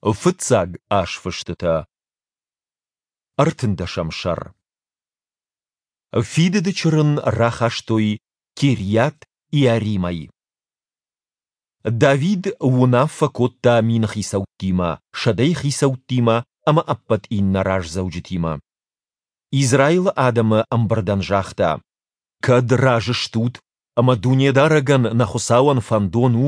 Фыццаг азфыстытӕ. Ӕртындӕсӕм сӕр. Фидыды чырын рахастой Кирйат-Иаримӕй. Давид уынаффӕ кодта миныхицӕуттимӕ, сӕдӕйыхицӕуттимӕ ӕмӕ ӕппӕт иннӕ раздзӕуджытимӕ. Израилы адӕмы ӕмбырдӕн загъта: Кӕд разы стут ӕмӕ Дунедарӕгӕн, нӕ Хуыцауӕн, фӕндон у,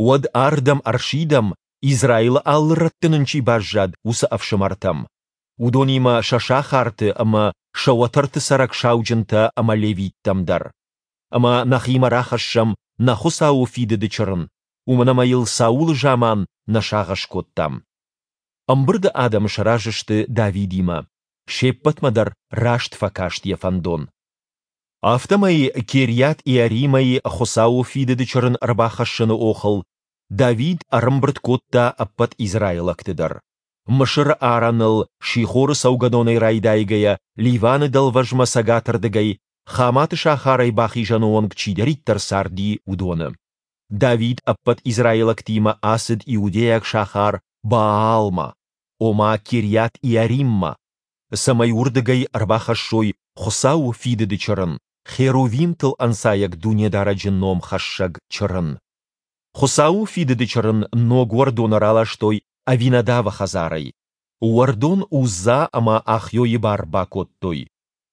уӕд ардӕм ӕрсидӕм, Израилы алы рӕтты нын чи баззад, уыцы ӕфсымӕртӕм, уыдонимӕ сӕ сахарты ӕмӕ сӕ уӕтӕрты цӕрӕг сауджынтӕ ӕмӕ левиттӕм дӕр. Ӕмӕ нӕхимӕ рахӕссӕм нӕ Хуыцауы фидыды чырын, уымӕн ӕмӕ йыл Саулы заман нӕ сагъӕс кодтам. Ӕмбырды адӕм сразы сты Давидимӕ, се ппӕтмӕ дӕр раст фӕкаст йӕ фӕндон. Афтӕмӕй Кирйат-Иаримӕй Хуыцауы фидыды чырын ӕрбахӕссыны охыл Давид ӕрӕмбырд кодта ӕппӕт израилӕгты дӕр. Мысыры арӕныл Сихоры цӕугӕдонӕй райдайгӕйӕ Ливаны дӕлвӕзмӕ цӕгатырдыгӕй Хаматы сахарӕй бахизӕны онг чидӕриддӕр царди, уыдоны. Давид ӕппӕт израилӕгтимӕ ацыд иудейаг сахар Баалмӕ, ома Кирйат-Иариммӕ, цӕмӕй уырдыгӕй ӕрбахӕссой Хуыцауы Фидыды Чырын, херувимтыл ӕнцайӕг Дунедарӕджы ном хӕссӕг Чырын. Хуыцауы Фидыды Чырын ног уӕрдоны раластой Авинадавы хӕдзарӕй. Уӕрдон Узза ӕмӕ Ахйойы бар бакодтой.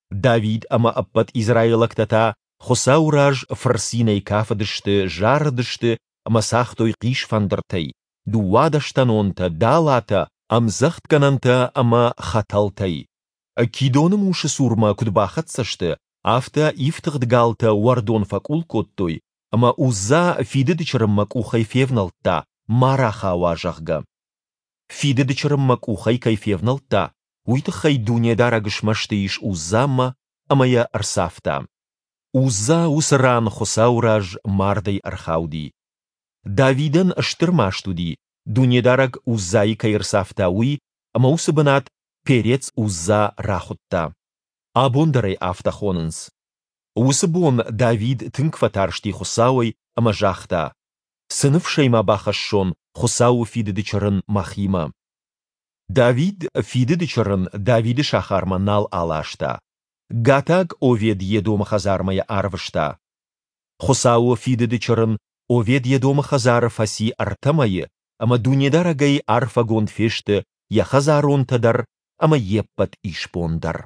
Давид ӕмӕ ӕппӕт израилӕгтӕ та Хуыцауы раз фырцинӕй кафыдысты, зарыдысты ӕмӕ цагътой хъисфӕндыртӕй, дыууадӕстӕнонтӕ, далатӕ, ӕмдзӕгъдгӕнӕнтӕ ӕмӕ хӕтӕлтӕй. Кидоны мусы цурмӕ куыд бахӕццӕ сты, афтӕ ифтыгъд галтӕ уӕрдон фӕкъул кодтой, ӕмӕ Узза фидыды чырынмӕ къухӕй февнӕлдта, ма рахауа, зӕгъгӕ. Фидыды чырынмӕ къухӕй кӕй февнӕлдта, уый тыххӕй Дунедарӕг смӕсты ис Уззамӕ ӕмӕ йӕ ӕрцавта. Узза уыцы ран Хуыцауы раз мардӕй ӕрхауди. Давидӕн стыр маст уыди, Дунедарӕг Уззайы кӕй ӕрцавта, уый, ӕмӕ уыцы бынат Перец-Узза рахуыдта. Абон дӕр ӕй афтӕ хонынц. Уыцы бон Давид тынг фӕтарсти Хуыцауӕй ӕмӕ загъта, Цы ныфсӕй ма бахӕссон Хуыцауы фидыды чырын мӕхимӕ? Давид фидыды чырын Давиды сахармӕ нал аласта. Гатаг Овед-Едомы хӕдзармӕ йӕ арвыста. Хуыцауы фидыды чырын Овед-Едомы хӕдзары фӕци ӕртӕ мӕйы, ӕмӕ Дунедарӕгӕй арфӕгонд фесты йӕ хӕдзаронтӕ дӕр ӕмӕ йе ппӕт исбон дӕр.